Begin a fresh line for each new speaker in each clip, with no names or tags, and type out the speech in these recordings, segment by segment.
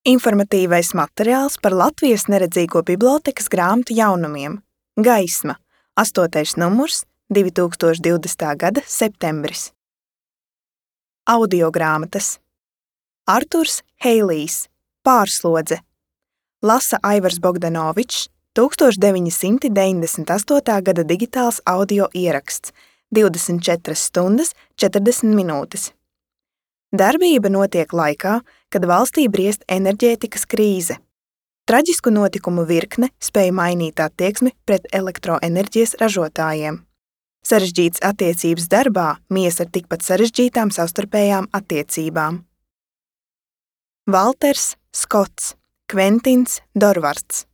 Informatīvais materiāls par Latvijas neredzīgo bibliotēkas grāmatu jaunumiem. Gaisma, 8. numurs, 2020. gada septembris. Audiogrāmatas. Arturs Heilijs, Pārslodze. Lasa Aivars Bogdanovičs, 1998. gada digitāls audio ieraksts, 24 stundas 40 minūtes. Darbība notiek laikā, kad valstī briest enerģētikas krīze. Traģisku notikumu virkne spēja mainīt attieksmi pret elektroenerģijas ražotājiem. Sarežģītas attiecības darbā mies ar tikpat sarežģītām savstarpējām attiecībām. Valters Skots, Kventins Dorvards.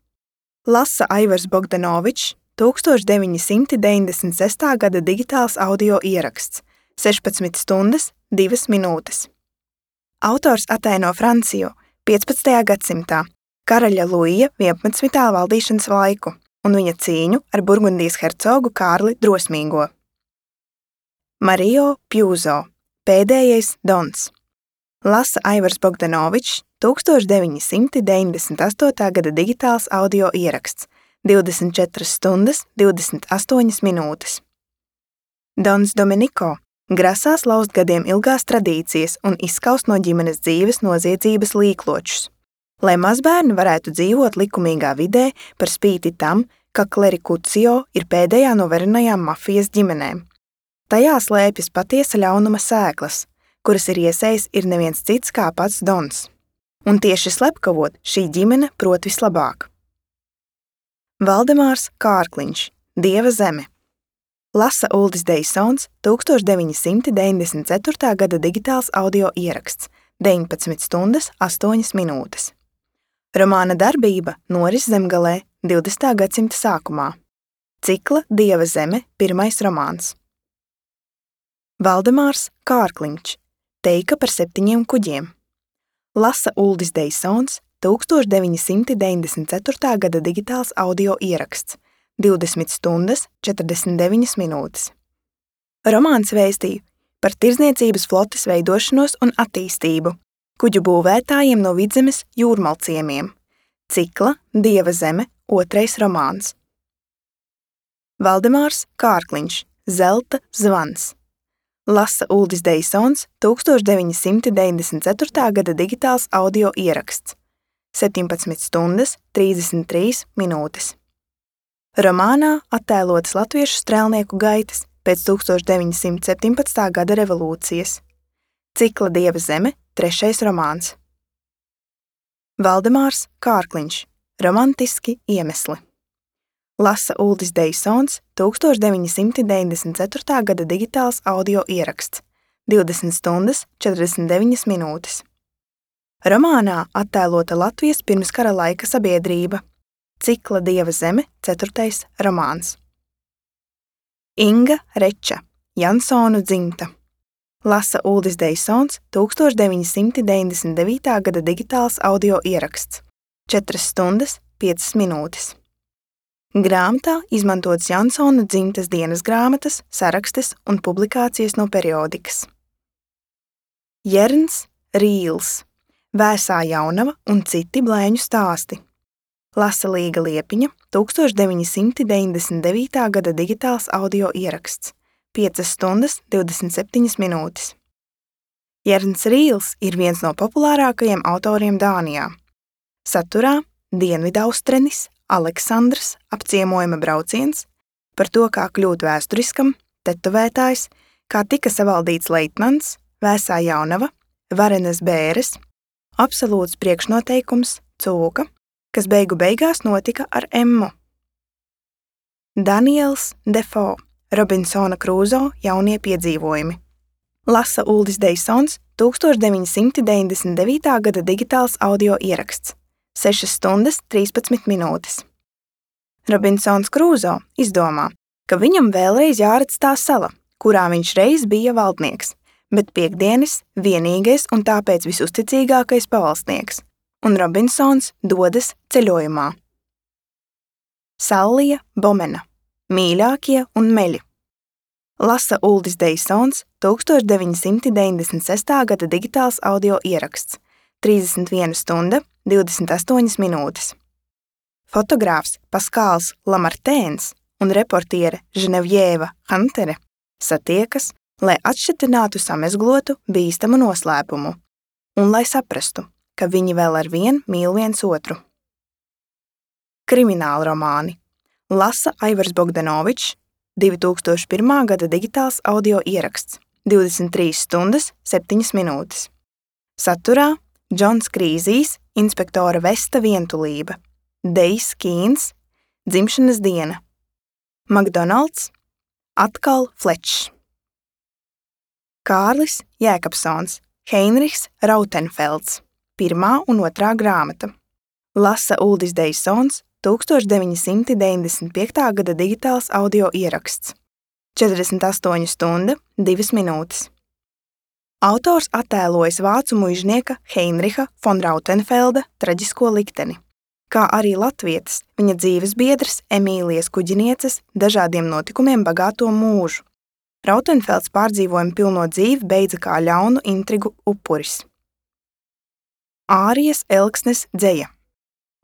Lasa Aivars Bogdanovičs, 1996. gada digitāls audio ieraksts, 16 stundas 2 minūtes. Autors ataino Franciju 15. gadsimtā, karaļa Luija 11. valdīšanas laiku un viņa cīņu ar Burgundijas hercogu Kārli Drosmīgo. Mario Pjuzo, Pēdējais dons. Lasa Aivars Bogdanovičs, 1998. gada digitāls audio ieraksts, 24 stundas 28 minūtes. Dons Dominiko grasās laust gadiem ilgās tradīcijas un izskaust no ģimenes dzīves noziedzības līkločus, lai mazbērni varētu dzīvot likumīgā vidē par spīti tam, ka klerikucio ir pēdējā no varenajām mafijas ģimenēm. Tajā slēpjas patiesa ļaunuma sēklas, kuras ir iesējis ir neviens cits kā pats Dons. Un tieši slepkavot šī ģimene prot vislabāk. Valdemārs Kārkliņš, Dieva zeme. Lasa Uldis Deisons, 1994. gada digitāls audio ieraksts, 19 stundas 8 minūtes. Romāna darbība noris Zemgalē 20. gadsimta sākumā. Cikla Dieva zeme, 1. romāns. Valdemārs Kārkliņš, Teika par 7 kuģiem. Lasa Uldis Deisons, 1994. gada digitāls audio ieraksts, 20 stundas 49 minūtes. Romāns vēstīja par tirdzniecības flotes veidošanos un attīstību, kuģu būvētājiem no Vidzemes jūrmalciemiem. Cikla Dieva zeme, 2. romāns. Valdemārs Kārkliņš, Zelta zvans. Lasa Uldis Deisons, 1994. gada digitāls audio ieraksts, 17 stundas 33 minūtes. Romānā attēlotas latviešu strēlnieku gaitas pēc 1917. gada revolūcijas. Cikla Dieva zeme, 3. romāns. Valdemārs Kārkliņš, Romantiski iemesli. Lasa Uldis Deisons, 1994. gada digitāls audio ieraksts, 20 stundas 49 minūtes. Romānā attēlota Latvijas pirmskara laika sabiedrība. Cikla Dieva zeme, 4. romāns. Inga Reča, Jansonu dzimta. Lasa Uldis Deisons, 1999. gada digitāls audio ieraksts, 4 stundas 5 minūtes. Grāmatā izmantotas Jansonu dzimtas dienas grāmatas, sarakstes un publikācijas no periodikas. Jerns Rīls, Vēsā jaunava un citi blēņu stāsti. Lasa Līga Liepiņa, 1999. gada digitāls audio ieraksts, 5 stundas 27 minūtes. Jerns Rīls ir viens no populārākajiem autoriem Dānijā. Saturā Dienvidaustrunis, Aleksandrs, apciemojuma brauciens, par to, kā kļūt vēsturiskam, tetovētājs, kā tika savaldīts leitnants, Vēsā jaunava, varenas bēres, absolūts priekšnoteikums, cūka, kas beigu beigās notika ar Emmu. Daniels Defoe, Robinsona Krūzo jaunie piedzīvojumi. Lasa Uldis Deisons, 1999. gada digitāls audio ieraksts, 6 stundas 13 minūtes. Robinsons Krūzo izdomā, ka viņam vēlreiz jāredz tā sala, kurā viņš reiz bija valdnieks, bet piekdienis vienīgais un tāpēc visusticīgākais pavalsnieks, un Robinsons dodas ceļojumā. Sallija Bomena, Mīļākie un meļi. Lasa Uldis Deisons, 1996. gada digitāls audio ieraksts, 31 stunda 28 minūtes. Fotogrāfs Paskāls Lamartēns un reportiere Ženevjēva Huntere satiekas, lai atšķetinātu samezglotu bīstamu noslēpumu un lai saprastu, ka viņi vēl arvien mīl viens otru. Krimināla romāni. Lasa Aivars Bogdanovičs, 2001. gada digitāls audio ieraksts, 23 stundas, 7 minūtes. Saturā Džons Krīzijs, inspektora Vesta vientulība, Dejs Kīns, dzimšanas diena, McDonalds, atkal Flečs. Kārlis Jēkabsons, Heinrichs Rautenfelds, 1. un 2. grāmata. Lasa Uldis Deisons, 1995. gada digitāls audio ieraksts, 48 stunda, 2 minūtes. Autors attēlojas vācu muižnieka Heinricha von Rautenfelda traģisko likteni, kā arī latvietes, viņa dzīves biedras Emīlijas Kuģinieces dažādiem notikumiem bagāto mūžu. Rautenfelds pārdzīvojumu pilno dzīvi beidza kā ļaunu intrigu upuris. Ārijas Elksnes dzeja.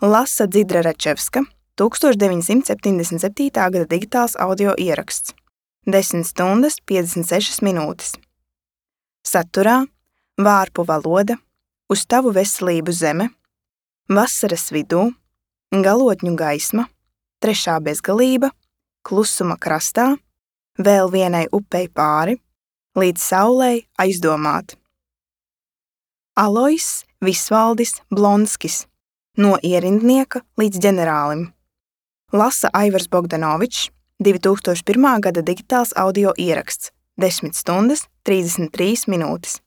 Lasa Dzidra Račevska, 1977. gada digitāls audio ieraksts, 10 stundas, 56 minūtes. Saturā Vārpu valoda, Uz tavu veselību zeme, Vasaras vidū, Galotņu gaisma, Trešā bezgalība, Klusuma krastā, Vēl vienai upei pāri, Līdz saulei aizdomāt. Alojs Visvaldis Blonskis, No ierindnieka līdz ģenerālim. Lasa Aivars Bogdanovičs, 2001. gada digitāls audio ieraksts, 10 stundas, 33 minūtes.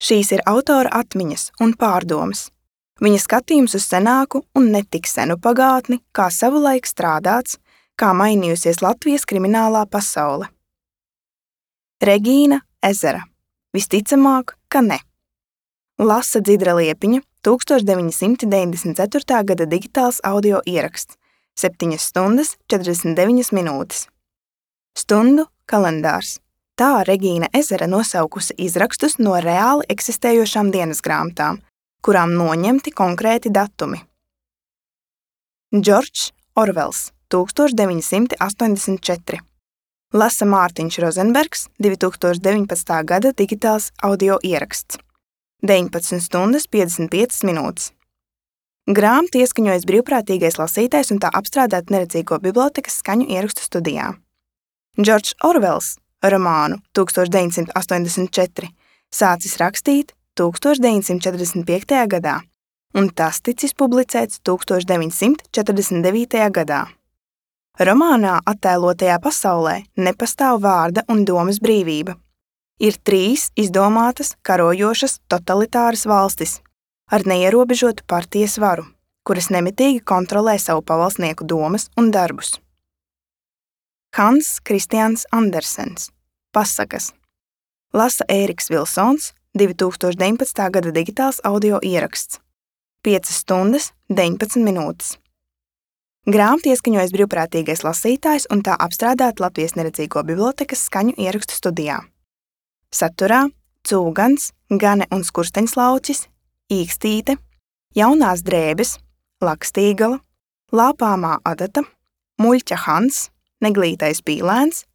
Šīs ir autora atmiņas un pārdomas. Viņa skatījums uz senāku un netik senu pagātni, kā savulaik strādāts, kā mainījusies Latvijas kriminālā pasaule. Regīna Ezera. Visticamāk, ka ne. Lasa Dzidra Liepiņa, 1994. gada digitāls audio ieraksts, 7 stundas, 49 minūtes. Stundu kalendārs. Tā Regīna Ezera nosaukusi izrakstus no reāli eksistējošām dienas grāmatām, kurām noņemti konkrēti datumi. Džordžs Orvels, 1984. Lasa Mārtiņš Rozenbergs, 2019. gada digitāls audio ieraksts, 19 stundas, 55 minūtes. Grāmatu ieskaņojas brīvprātīgais lasītājs un tā apstrādāt Neredzīgo bibliotekas skaņu ierakstu studijā. Džordžs Orvels romānu 1984 sācis rakstīt 1945. gadā, un tas ticis publicēts 1949. gadā. Romānā attēlotajā pasaulē nepastāv vārda un domas brīvība. Ir 3 izdomātas, karojošas, totalitāras valstis ar neierobežotu partijas varu, kuras nemitīgi kontrolē savu pavalsnieku domas un darbus. Hans Kristians Andersens. Pasakas. Lasa Ēriks Vilsons, 2019. gada digitāls audio ieraksts, 5 stundas, 19 minūtes. Grāmatu ieskaņojas brīvprātīgais lasītājs un tā apstrādāt Latvijas Neredzīgo bibliotekas skaņu ierakstu studijā. Saturā Cūgans, Gane un Skursteņslaucis, Īkstīte, Jaunās drēbes, Lakstīgala, Lāpāmā adata, Muļķa Hans, Neglītais pīlēns,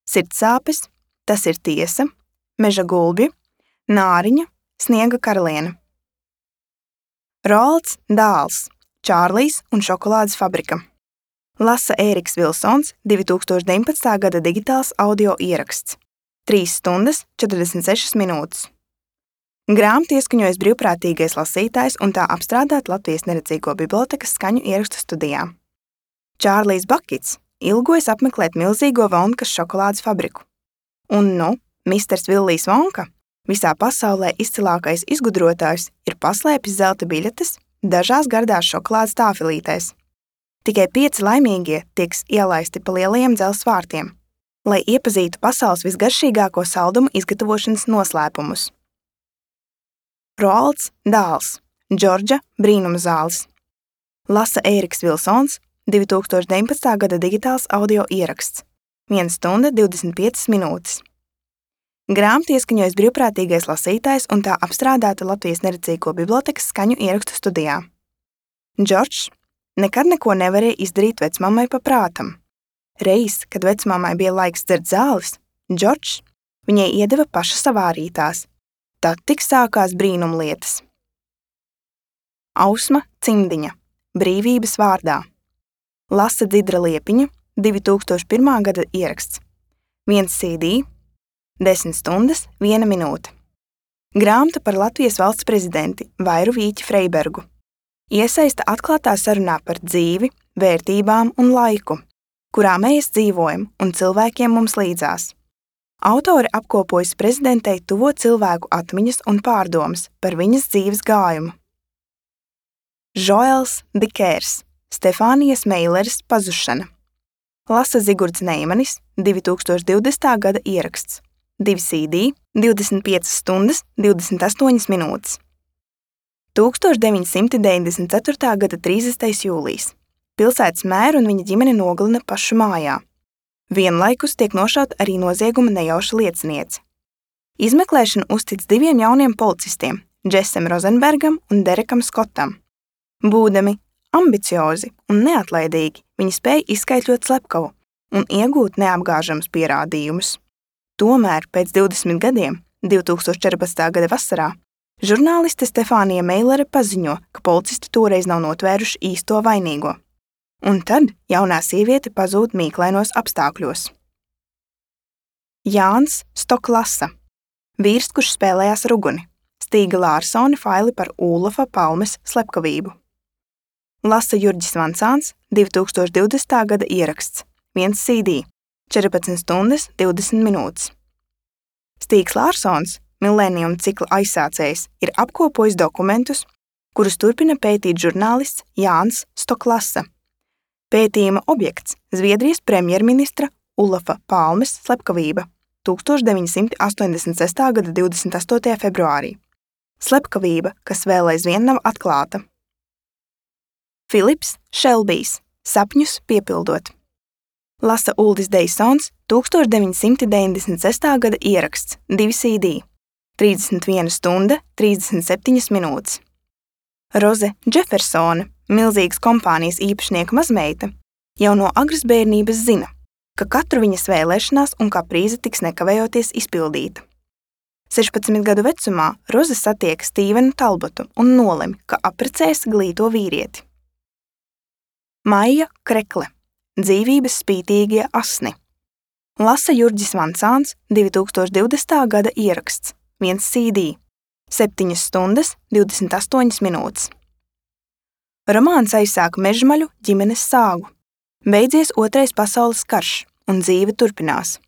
Sirdsāpes, Tas ir tiesa, Meža gulbji, Nāriņa, Sniega karaliene. Roalds Dāls, Čārlijs un šokolādes fabrika. Lasa Ēriks Vilsons, 2019. gada digitāls audio ieraksts, 3 stundas, 46 minūtes. Grāmatu ieskaņojas brīvprātīgais lasītājs un tā apstrādāt Latvijas Neredzīgo bibliotekas skaņu ierakstu studijā. Čārlijs Bakits ilgojas apmeklēt milzīgo Vonkas šokolādes fabriku. Un misters Villijs Vonka, visā pasaulē izcilākais izgudrotājs, ir paslēpis zelta biļetes dažās gardās šokolādes tāfelītēs. Tikai 5 laimīgie tiks ielaisti pa lielajiem dzelzs vārtiem, lai iepazītu pasaules visgaršīgāko saldumu izgatavošanas noslēpumus. Roalds Dāls, Džordža brīnuma zāles. Lasa Ēriks Vilsons, 2019. gada digitāls audio ieraksts, 1 stunda 25 minūtes. Grāmatu ieskaņojas brīvprātīgais lasītājs un tā apstrādāta Latvijas Neredzīgo bibliotekas skaņu ierakstu studijā. Džordžs nekad neko nevarēja izdarīt vecmammai pa prātam. Reiz, kad vecmammai bija laiks dzert zāles, Džordžs viņai iedeva paša savārītās. Tad tik sākās brīnumlietas. Ausma Cimdiņa, Brīvības vārdā. Lasa Dzidra Liepiņa, 2001. gada ieraksts. 1 CD, 10 stundas, 1 minūte. Grāmata par Latvijas valsts prezidenti Vairu Vīķi Freibergu. Iesaista atklātā sarunā par dzīvi, vērtībām un laiku, kurā mēs dzīvojam un cilvēkiem mums līdzās. Autore apkopojas prezidentei tuvo cilvēku atmiņas un pārdomas par viņas dzīves gājumu. Žoels Dikērs, Stefānijas Meileres pazušana. Lasa Zigurds Neimanis, 2020. gada ieraksts. 2 CD, 25 stundas, 28 minūtes. 1994. gada 30. jūlijs. Pilsētas mēru un viņa ģimene nogalina pašu mājā. Vienlaikus tiek nošauta arī nozieguma nejauša lieciniece. Izmeklēšanu uztic 2 jauniem policistiem, Džesam Rozenbergam un Derekam Skotam. Būdami ambiciozi un neatlaidīgi, viņi spēja izskaidrot slepkavu un iegūt neapgāžamus pierādījumus. Tomēr pēc 20 gadiem, 2014. gada vasarā, žurnāliste Stefānija Meilere paziņo, ka policisti toreiz nav notvēruši īsto vainīgo. Un tad jaunā sieviete pazūd mīklainos apstākļos. Jānis Stoklasa, vīrs, kurš spēlējās ruguni. Stīga Lārsone faili par Ūlofa Palmes slepkavību. Lasa Jurģis Vancāns, 2020. gada ieraksts. 1 CD, 14 stundas, 20 minūtes. Stīgs Lārsons, Millennium cikla aizsācējs, ir apkopojis dokumentus, kurus turpina pētīt žurnālists Jānis Stoklasa. Pētījuma objekts – Zviedrijas premjerministra Ūlofa Palmes slepkavība 1986. gada 28. februārī. Slepkavība, kas vēl aizvien nav atklāta. Filips Šelbijs, Sapņus piepildot. Lasa Uldis Deisons, 1996. gada ieraksts, 2 CD, 31 stunda, 37 minūtes. Roze Džefersone, milzīgas kompānijas īpašnieka mazmeita, jau no agras bērnības zina, ka katru viņas vēlēšanās un kaprīze tiks nekavējoties izpildīta. 16 gadu vecumā Roze satiek Stīvenu Talbotu un nolem, ka apprecēs glīto vīrieti. Maija Krekle, Dzīvības spītīgie asni. Lasa Jurģis Vancāns, 2020. gada ieraksts, 1 CD, 7 stundas, 28 minūtes. Romāns aizsāk Mežmaļu ģimenes sāgu. Beidzies 2. pasaules karš, un dzīve turpinās.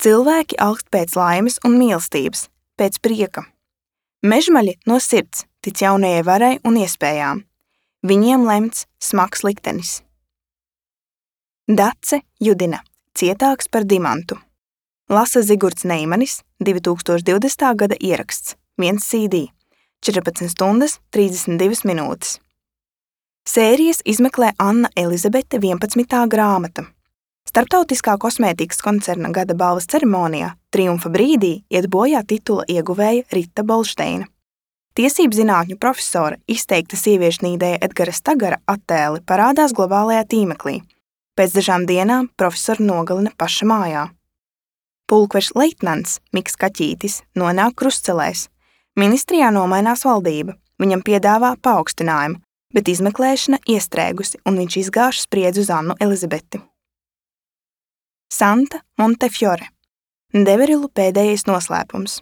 Cilvēki alkst pēc laimes un mīlestības, pēc prieka. Mežmaļi no sirds tic jaunajai varai un iespējām. Viņiem lemts smags liktenis. Dace Judina, Cietāks par dimantu. Lasa Zigurds Neimanis, 2020. gada ieraksts, 1 CD, 14 stundas, 32 minūtes. Sērijas izmeklē Anna Elizabete 11. grāmata. Starptautiskā kosmētikas koncerna gada balvas ceremonijā triumfa brīdī iet bojā titula ieguvēja Rita Bolšteina. Tiesību zinātņu profesora izteikta sieviešnīdēja Edgara Stagara attēli parādās globālajā tīmeklī. Pēc dažām dienām profesoru nogalina paša mājā. Pulkvežs leitnants Miks Kaķītis nonāk krustcelēs. Ministrijā nomainās valdība, viņam piedāvā paaugstinājumu, bet izmeklēšana iestrēgusi un viņš izgāž spriedzi uz Annu Elizabeti. Santa Montefiore, Deverilu pēdējais noslēpums.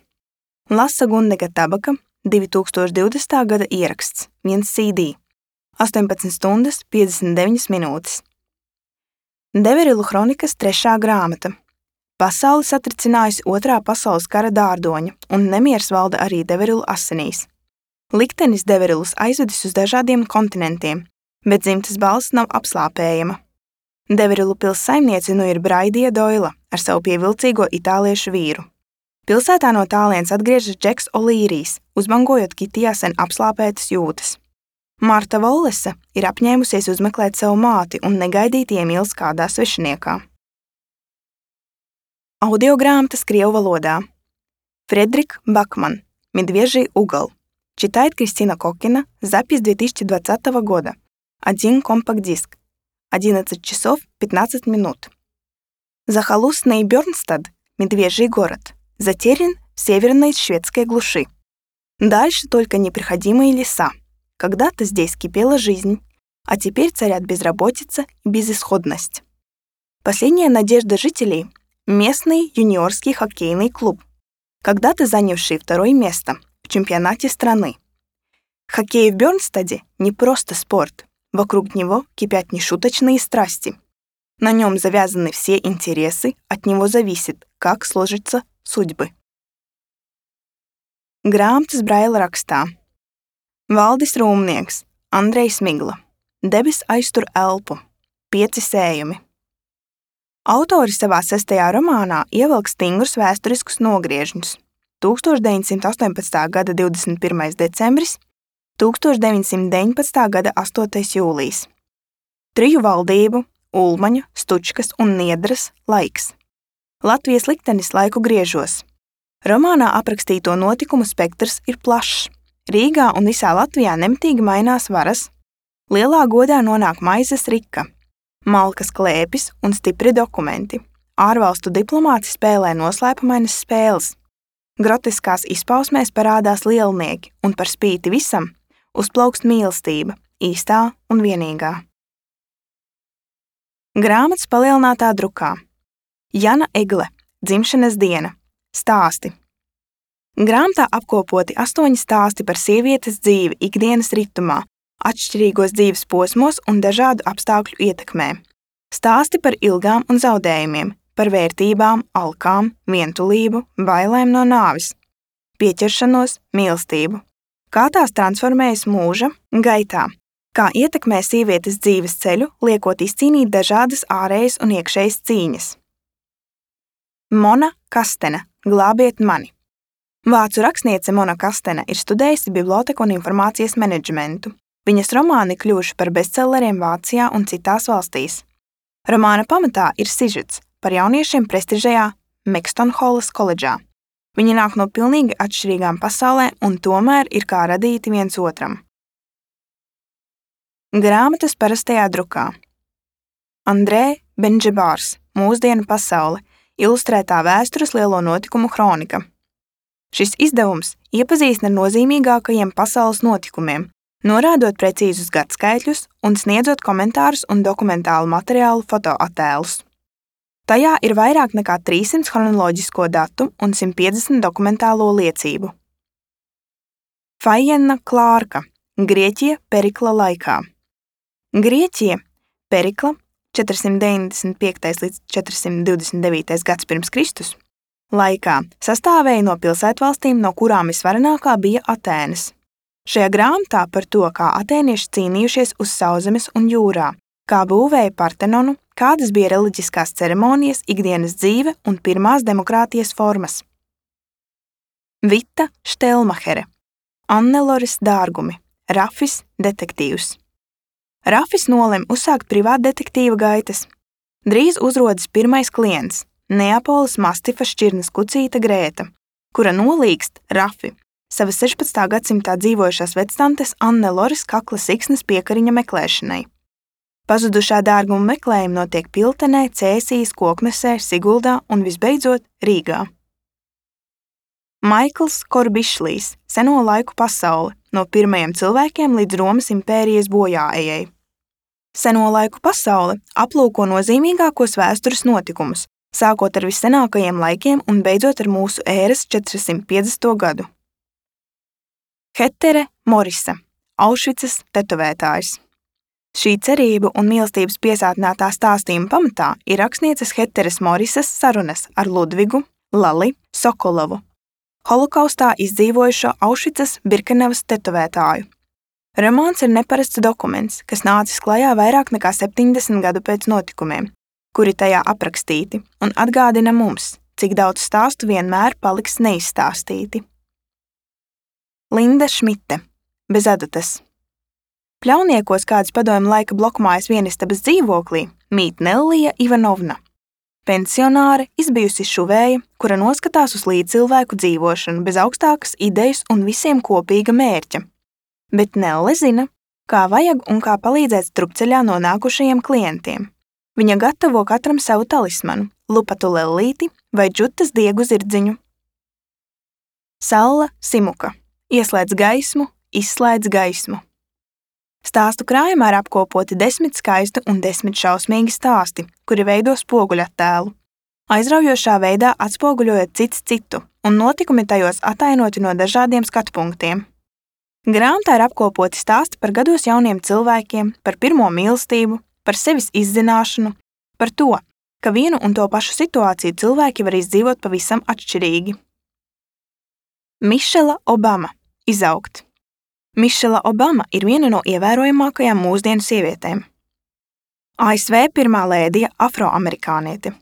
Lasa Gundega Tabaka, 2020. gada ieraksts, 1 CD, 18 stundas, 59 minūtes. Deverilu kronikas 3. grāmata. Pasauli satricinājusi 2. pasaules kara dārdoņa, un nemiers valda arī Deverilu asinīs. Liktenis Deverilus aizvedis uz dažādiem kontinentiem, bet dzimtes balss nav apslāpējama. Deverilu pils saimniece nu ir Braidija Doila ar savu pievilcīgo itāliešu vīru. Pilsētā no tālienes atgriežas Džeks Olīrijs, uzbangojot Kitijā sen apslāpētas jūtas. Marta Vollese ir apņēmusies uzmeklēt savu māti un negaidīti iemīlas kādā svešiniekā. Audiogrāmatas krievu valodā. Фредерик Бакман, Медвежий угол. Читает Кристина Кокина, запись 2020 года. 1 компакт-диск, 11 часов 15 минут. Захолустный Бёрнстад, медвежий город, затерян в северной шведской глуши. Дальше только непроходимые леса. Когда-то здесь кипела жизнь, а теперь царят безработица и безысходность. Последняя надежда жителей — местный юниорский хоккейный клуб, когда-то занявший 2-е место в чемпионате страны. Хоккей в Бёрнстаде не просто спорт, вокруг него кипят нешуточные страсти. На нем завязаны все интересы, от него зависит, как сложатся судьбы. Grāmatas braila rakstā. Valdis Rūmnieks, Andrejs Migla. Debes aiztur elpu. 5 sējumi. Autoris savā 6. romānā ievelk stingrus vēsturiskus nogriežņus. 1918. gada 21. decembris, 1919. gada 8. jūlijs. 3 valdību, Ulmaņu, Stučkas un Niedras laiks. Latvijas liktenis laiku griežos. Romānā aprakstīto notikumu spektrs ir plašs. Rīgā un visā Latvijā nemitīgi mainās varas. Lielā godā nonāk maizes rika, malkas klēpis un stipri dokumenti. Ārvalstu diplomāti spēlē noslēpumainas spēles. Grotiskās izpausmēs parādās lielnieki, un par spīti visam uzplaukst mīlestība, īstā un vienīgā. Grāmatas palielinātā drukā. Jana Egle, dzimšanas diena. Stāsti. Grāmatā apkopoti 8 stāsti par sievietes dzīvi ikdienas ritumā, atšķirīgos dzīves posmos un dažādu apstākļu ietekmē. Stāsti par ilgām un zaudējumiem, par vērtībām, alkām, vientulību, bailēm no nāves, pieķeršanos, mīlestību. Kā tās transformējas mūža gaitā, kā ietekmē sievietes dzīves ceļu, liekot izcīnīt dažādas ārējas un iekšējas cīņas. Mona Kastena, Glābiet mani. Vācu rakstniece Mona Kastena ir studējusi biblioteku un informācijas menedžmentu. Viņas romāni kļuvuši par bestselleriem Vācijā un citās valstīs. Romāna pamatā ir sižets par jauniešiem prestižajā Mekstonholas koledžā. Viņi nāk no pilnīgi atšķirīgām pasaulēm un tomēr ir kā radīti viens otram. Grāmatas parastajā drukā. Andrē Benžebārs, Mūsdienu pasaule, ilustrētā vēstures lielo notikumu kronika. Šis izdevums iepazīstina ar nozīmīgākajiem pasaules notikumiem, norādot precīzus gadskaitļus un sniedzot komentārus un dokumentālu materiālu fotoattēlus. Tajā ir vairāk nekā 300 chronoloģisko datu un 150 dokumentālo liecību. Fajenna Klārka, Grieķija Perikla laikā. Grieķija Perikla 495. līdz 429. gads pirms Kristus laikā sastāvēja no pilsētvalstīm, no kurām visvarenākā bija Atēnas. Šajā grāmatā par to, kā atēnieši cīnījušies uz sauszemes un jūrā, kā būvēja Partenonu, kādas bija reliģiskās ceremonijas, ikdienas dzīve un pirmās demokrātijas formas. Vita Štelmahere, Anneloris dārgumi, Rafis detektīvs. Rafis nolem uzsākt privātdetektīva gaitas. Drīz uzrodas pirmais klients – Neapoles mastifa šķirnes kucīte Grēta, kura nolīgst Rafi, savas 16. gadsimtā dzīvojušās vectantes Anneloris kakla siksnes piekariņa meklēšanai. Pazudušā dārguma meklējumi notiek Piltenē, Cēsīs, Koknesē, Siguldā un visbeidzot Rīgā. Maikls Korbišlijs, Seno laiku pasaule, no pirmajiem cilvēkiem līdz Romas impērijas bojāejai. Seno laiku pasaule aplūko nozīmīgākos vēstures notikumus, sākot ar vissenākajiem laikiem un beidzot ar mūsu ēras 450. gadu. Hetere Morise, Aušvicas tetovētājs. Šī cerību un mīlestības piesātinātā stāstījuma pamatā ir rakstnieces Heteres Morises sarunas ar Ludvigu Lali Sokolovu, holokaustā izdzīvojušo Aušvicas Birkenavas tetovētāju. Romāns ir neparasts dokuments, kas nācis klajā vairāk nekā 70 gadu pēc notikumiem, kuri tajā aprakstīti, un atgādina mums, cik daudz stāstu vienmēr paliks neizstāstīti. Linda Šmite, Bez adatas. Pļauniekos kāds padomju laika blokmājas vienistabas dzīvoklī mīt Nellija Ivanovna, pensionāre, izbijusi šuvēja, kura noskatās uz līdzcilvēku dzīvošanu bez augstākas idejas un visiem kopīga mērķa. Bet Nelle zina, kā vajag un kā palīdzēt strupceļā nonākušajiem klientiem. Viņa gatavo katram savu talismanu, lupatu lellīti vai džutas diegu zirdziņu. Salla Simuka. Ieslēdz gaismu, izslēdz gaismu. Stāstu krājumā ir apkopoti 10 skaisti un 10 šausmīgi stāsti, kuri veido spoguļattēlu. Aizraujošā veidā atspoguļojot cits citu, un notikumi tajos atainoti no dažādiem skatu punktiem. Grāmatā ir apkopoti stāsti par gados jauniem cilvēkiem, par pirmo mīlestību, par sevis izzināšanu, par to, ka vienu un to pašu situāciju cilvēki var izdzīvot pavisam atšķirīgi. Mišela Obama. Izaugt. Mišela Obama ir viena no ievērojamākajām mūsdienu sievietēm. ASV pirmā lēdija afroamerikāniete.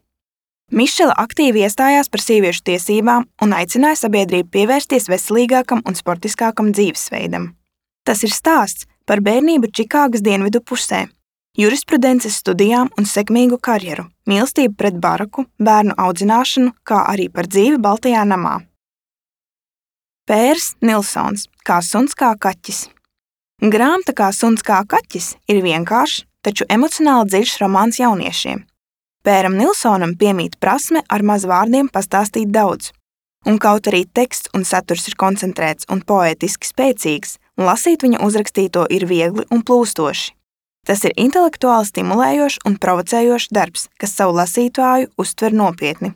Mišela aktīvi iestājās par sieviešu tiesībām un aicināja sabiedrību pievērsties veselīgākam un sportiskākam dzīvesveidam. Tas ir stāsts par bērnību Čikāgas dienvidu pusē, jurisprudences studijām un sekmīgu karjeru, mīlestību pret Baraku, bērnu audzināšanu, kā arī par dzīvi Baltajā namā. Pērs Nilsons. Kā suns, kā kaķis. Grāmata Kā suns, kā kaķis ir vienkāršs, taču emocionāli dziļš romāns jauniešiem. Pēram Nilsonam piemīt prasme ar maz vārdiem pastāstīt daudz. Un kaut arī teksts un saturs ir koncentrēts un poētiski spēcīgs, lasīt viņa uzrakstīto ir viegli un plūstoši. Tas ir intelektuāli stimulējošs un provocējošs darbs, kas savu lasītāju uztver nopietni.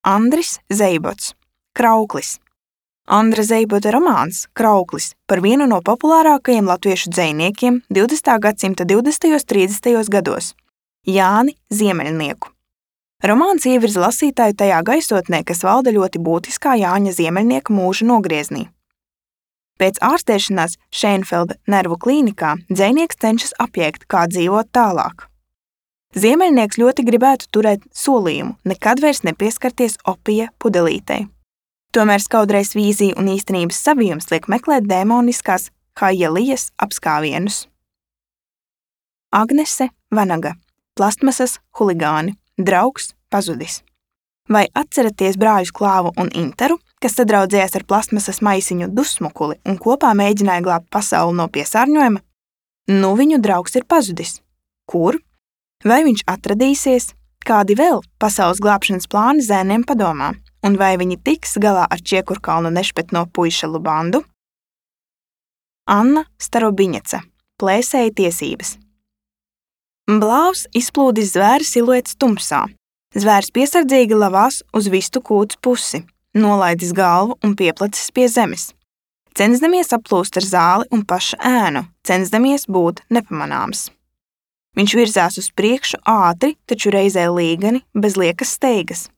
Andris Zeibots. Krauklis. Andra Zeibota romāns Krauklis par vienu no populārākajiem latviešu dzejniekiem 20. gadsimta 20. un 30. gados – Jāni Ziemeļnieku. Romāns ievirza lasītāju tajā gaisotnē, kas valda ļoti būtiskā Jāņa Ziemeļnieka mūža nogrieznī. Pēc ārstēšanās Šeinfelda nervu klīnikā dzejnieks cenšas apiekt, kā dzīvot tālāk. Ziemeļnieks ļoti gribētu turēt solījumu nekad vairs nepieskarties opija pudelītei. Tomēr skaudrais vīzija un īstenības savijums liek meklēt dēmoniskās Haielijas apskāvienus. Agnese Vanaga. Plastmasas huligāni. Draugs pazudis. Vai atceraties brāļus Klāvu un Interu, kas sadraudzējās ar plastmasas maisiņu Dusmukuli un kopā mēģināja glābt pasauli no piesārņojuma? Nu viņu draugs ir pazudis. Kur? Vai viņš atradīsies? Kādi vēl pasaules glābšanas plāni zēniem padomā? Un vai viņi tiks galā ar Čiekurkalnu nešpetno puišalu bandu? Anna Starobiņeca. Plēsēja tiesības. Blāvs izplūdis zvēra siluets tumsā. Zvērs piesardzīgi lavās uz vistu kūts pusi, nolaidis galvu un pieplacis pie zemes. Censdamies aplūst ar zāli un paša ēnu, censdamies būt nepamanāms. Viņš virzās uz priekšu ātri, taču reizē līgani, bez liekas steigas.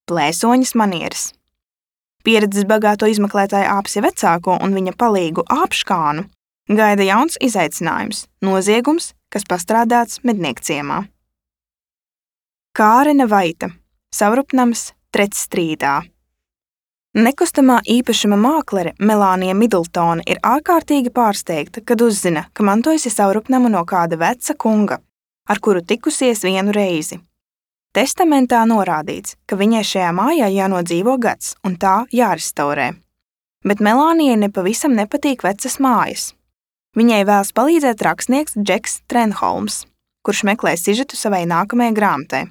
Plēsoņas manieres. Pieredzes bagāto izmeklētāju Āpsi vecāko un viņa palīgu Āpškānu gaida jauns izaicinājums – noziegums, kas pastrādāts Medniekciemā. Kārene Vaita. Savrupnams Tretstrīdā. Nekustamā īpašuma māklere Melānija Midltone ir ārkārtīgi pārsteigta, kad uzzina, ka mantojusi savrupnamu no kāda veca kunga, ar kuru tikusies vienu reizi. Testamentā norādīts, ka viņai šajā mājā jānodzīvo gads un tā jārestaurē. Bet Melānijai nepavisam nepatīk vecas mājas. Viņai vēlas palīdzēt rakstnieks Džeks Trenholms, kurš meklē sižetu savai nākamajai grāmatai.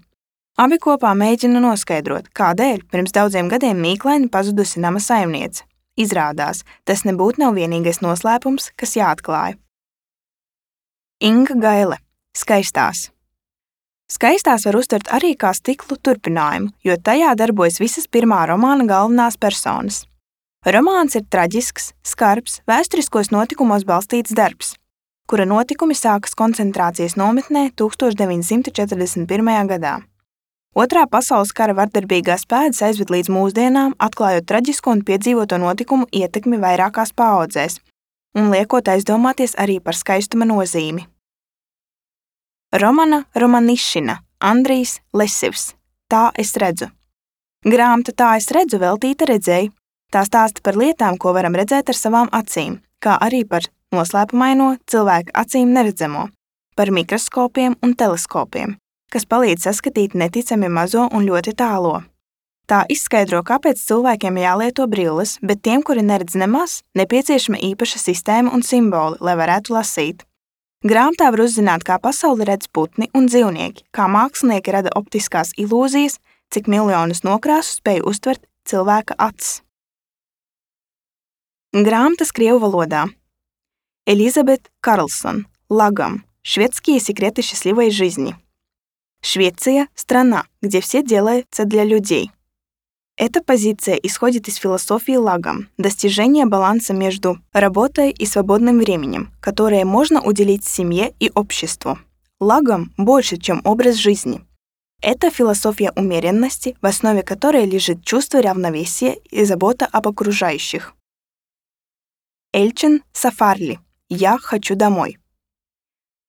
Abi kopā mēģina noskaidrot, kādēļ pirms daudziem gadiem mīklaini pazudusi nama saimniece. Izrādās, tas nebūtu nav vienīgais noslēpums, kas jāatklāj. Inga Gaile. Skaistās. Skaistās var uztvert arī kā stiklu turpinājumu, jo tajā darbojas visas pirmā romāna galvenās personas. Romāns ir traģisks, skarbs, vēsturiskos notikumos balstīts darbs, kura notikumi sākas koncentrācijas nometnē 1941. gadā. Otrā pasaules kara vardarbīgās pēdas aizved līdz mūsdienām, atklājot traģisko un piedzīvoto notikumu ietekmi vairākās paaudzēs un liekot aizdomāties arī par skaistuma nozīmi. Romana Romanišina, Andrijs Lesivs. Tā es redzu. Grāmata Tā es redzu veltīta redzēji. Tā stāsta par lietām, ko varam redzēt ar savām acīm, kā arī par noslēpumaino cilvēka acīm neredzamo, par mikroskopiem un teleskopiem, kas palīdz saskatīt neticami mazo un ļoti tālo. Tā izskaidro, kāpēc cilvēkiem jālieto brilles, bet tiem, kuri neredz nemaz, nepieciešama īpaša sistēma un simboli, lai varētu lasīt. Grāmatā var uzzināt, kā pasauli redz putni un dzīvnieki, kā mākslinieki rada optiskās ilūzijas, cik miljonus nokrāsu spēj uztvert cilvēka acis. Грамота крievu валода. Элизабет Карлсон. Лагом. Шведские секреты счастливой жизни. Швеция – страна, где все делается для людей. Эта позиция исходит из философии Лагом, достижения баланса между работой и свободным временем, которое можно уделить семье и обществу. Лагом больше, чем образ жизни. Это философия умеренности, в основе которой лежит чувство равновесия и забота об окружающих. Эльчин Сафарли. «Я хочу домой».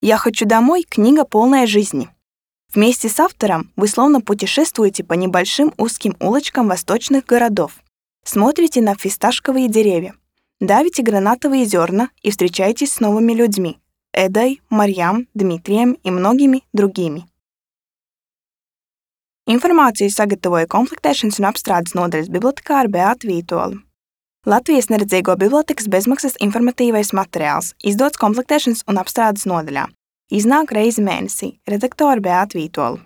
«Я хочу домой» — книга, полная жизни. Вместе с автором вы словно путешествуете по небольшим узким улочкам восточных городов, смотрите на фисташковые деревья, давите гранатовые зерна и встречаетесь с новыми людьми — Эдой, Марьям, Дмитрием и многими другими. Informāciju sagatavoja komplektēšanas un apstrādes nodaļas bibliotekāre Beāta Vītola. Latvijas neredzīgo bibliotekas bezmaksas informatīvais materiāls, izdots komplektēšanas un apstrādes nodaļā. Iznāk reizi mēnesī. Redaktore Beāta Vītola.